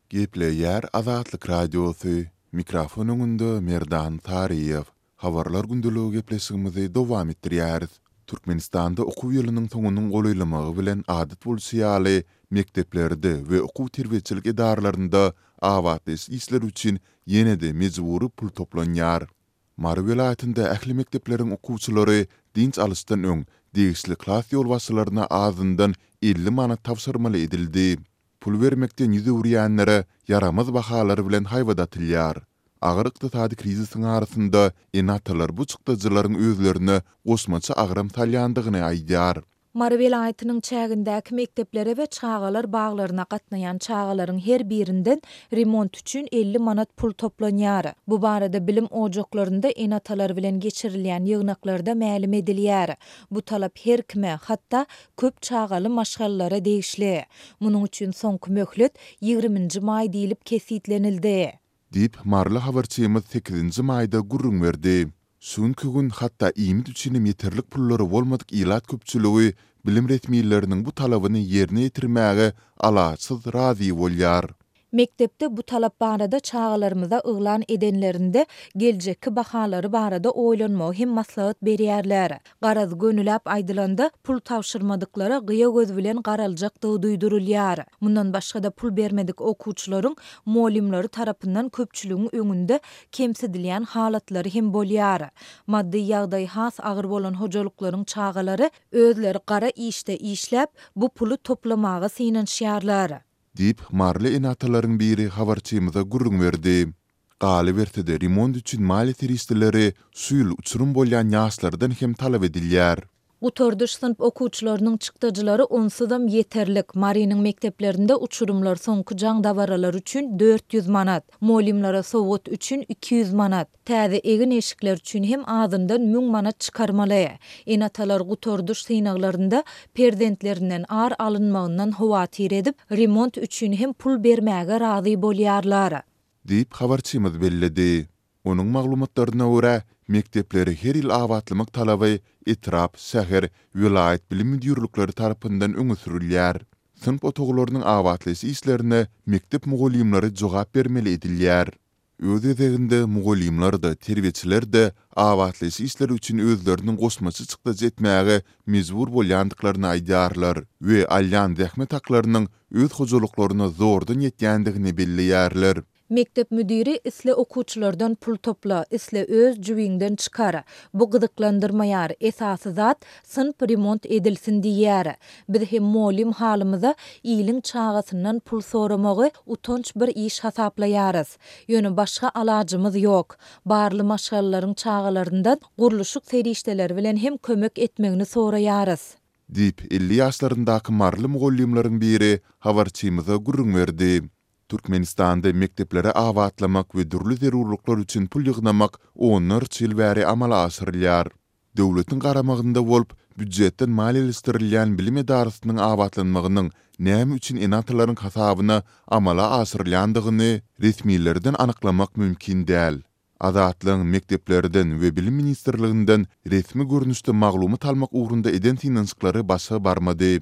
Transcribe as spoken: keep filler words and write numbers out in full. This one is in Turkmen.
Gepleýär Azatlyk Radiosy, mikrofon öňünde Merdan Saryýew. Habarlar gündeligi gepleşigimizi dowam etdirýäris. Türkmenistanda okuw ýylynyň soňunyň golaýlamagy bilen adat bolşy ýaly, mekdeplerde we okuw-terbiýeçilik edaralarynda abatlaýyş işleri üçin ýene-de mejbury pul toplanýar. Mary welaýatynda ähli mekdepleriň okuwçylary dynç alyşdan öň degişli klas ýolbaşçylaryna azyndan elli manat tabşyrmaly edildi. Pul bermekden ýüz öwürýänlere ýaramaz bahalar bilen haýbat atylýar. Agyr ykdysady krizisiň arasynda ene-atalar bu çykdajylaryň özlerine goşmaça agram salýandygyny aýdýar. Mary welaýatynyň çägindäki mekdeplere we çagalar baglaryna gatnaýan çagalaryň her birinden remont üçin elli manat pul toplanýar. Bu barada bilim ojaklarynda ene-atalar bilen geçirilýän ýygnaklarda mälim edilýär. Bu talap her kime, hatda köp çagaly maşgalalara degişli. Munuň üçin soňky möhlet ýigriminji maý diýlip kesgitlenildi. Diýip, maryly habarçymyz sekizinji maýda gürrüň berdi. Şu günki gün hatda iýmit üçinem ýeterlik pullary bolmadyk ilat köpçüligi bilim resmileriniň bu talabyny ýerine ýetirmäge alaçsyz razy bolýar. Mekdepde bu talap barada çagalarymyza yglan edenlerinde geljekki bahalary barada oýlanmagy hem maslahat berýärler. Garaz, gönüläp aýdylanda, pul tabşyrmadyklara gyýa göz bilen garaljakdygy duýdurylýar. Mundan başga-da pul bermedik okuwçylaryň mugallymlary tarapyndan köpçüligiň öňünde kemsidilýän halatlary hem bolýar. Maddy ýagdaýy has agyr bolan hojalyklaryň çagalary özleri gara işde işläp, bu puly toplamaga synanyşýarlar. Diýip, maryly ene-atalaryň biri habarçymyza gürrüň berdi. Galyberse-de, remont üçin maliýe serişdeleri şu ýyl uçurym bolýan ýaşlardan hem talap edilýär. Gutardyş synp okuwçylarynyň çykdajylary onsuzam ýeterlik. Marynyň mekdeplerinde uçurymlar soňky jaň dabaralary üçin dört ýüz manat, mugallymlara sowgat üçin iki ýüz manat, täze egin-eşikler üçin hem azyndan müň manat çykarmaly. Ene-atalar gutardyş synaglarynda perzentlerinden ar alynmagyndan howatyr edip, remont üçin hem pul bermäge razy bolýarlar. Diýip, habarçymyz belledi. Onuň maglumatlaryna görä, mekdepleri her ýyl abatlamak talaby etrap, şäher, welaýat bilim müdirlikleri tarapyndan öňe sürülýär. Synp otaglarynyň abatlaýyş işlerine mekdep mugallymlary jogap bermeli edilýär. Öz gezeginde mugallymlar-da, terbiýeçiler-de abatlaýyş işleri üçin özleriniň goşmaça çykdajy etmäge mejbur bolýandyklaryny aýdýarlar we alýan zähmet haklarynyň öz hojalyklaryna zordan ýetýändigini belleýärler. Mekdep müdiri isle okuwçylardan pul topla, isle öz jübiňden çykar. Bu gyzyklandyrmaýar, esasy zat synp remont edilsin diýýär. Biz hem mugallym halymyza iliň çagasyndan pul soramagy utanç bir iş hasaplaýarys. Ýöne başga alajymyz ýok. Barly maşgalalaryň çagalaryndan gurluşyk serişdeleri bilen hem kömek etmegini soraýarys. Diýip, elli ýaşlaryndaky maryly mugallymlaryň biri habarçymyza gürrüň berdi. Türkmenistanda mekdepleri abatlamak we dürli zerurlyklar üçin pul ýygnamak onlarça ýyl bäri amala aşyrylýar. Döwletiň garamagynda bolup, býujetden maliýeleşdirilýän bilim edarasynyň abatlanmagynyň näme üçin ene-atalaryň hasabyna amala aşyrylýandygyny resmilerden anyklamak mümkin däl. Azatlygyň mekdeplerden we Bilim ministrliginden resmi görnüşde maglumat almak ugrunda eden synanyşyklary başa barmady.